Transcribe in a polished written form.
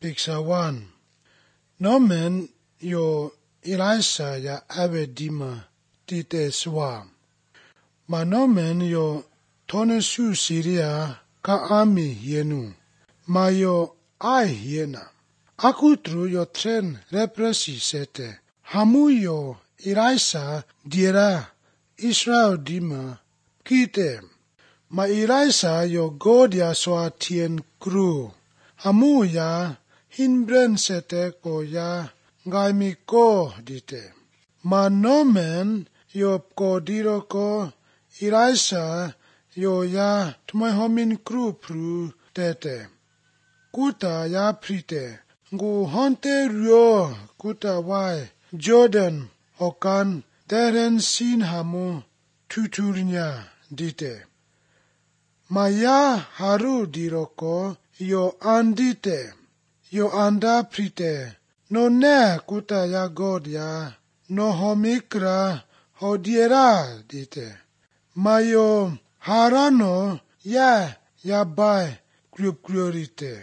Picture 1. Norman yo Elisha ya abedima tite swa. Ma Norman yo tonesu Syria ka army yenu. Ma yo ai yena. Akutru yo tren represi sete. Hamu yo Elisha diera Israel dima kite. Ma Elisha yo god ya swa tien kru. Hamu ya hinbren sete ko ya ngai mi ko dite. Ma Norman yo ko diro ko Elisha yo ya tumai homin kru pru tete. Kuta ya prite. Ngu honte rio kuta wai Jordan hokan teren sin hamu tuturnya dite. Ma ya haru diroko yo andite. Yo anda prite. No ne kuta ya god ya. No homikra hodiera dite. Ma yo harano ya bai kriurite.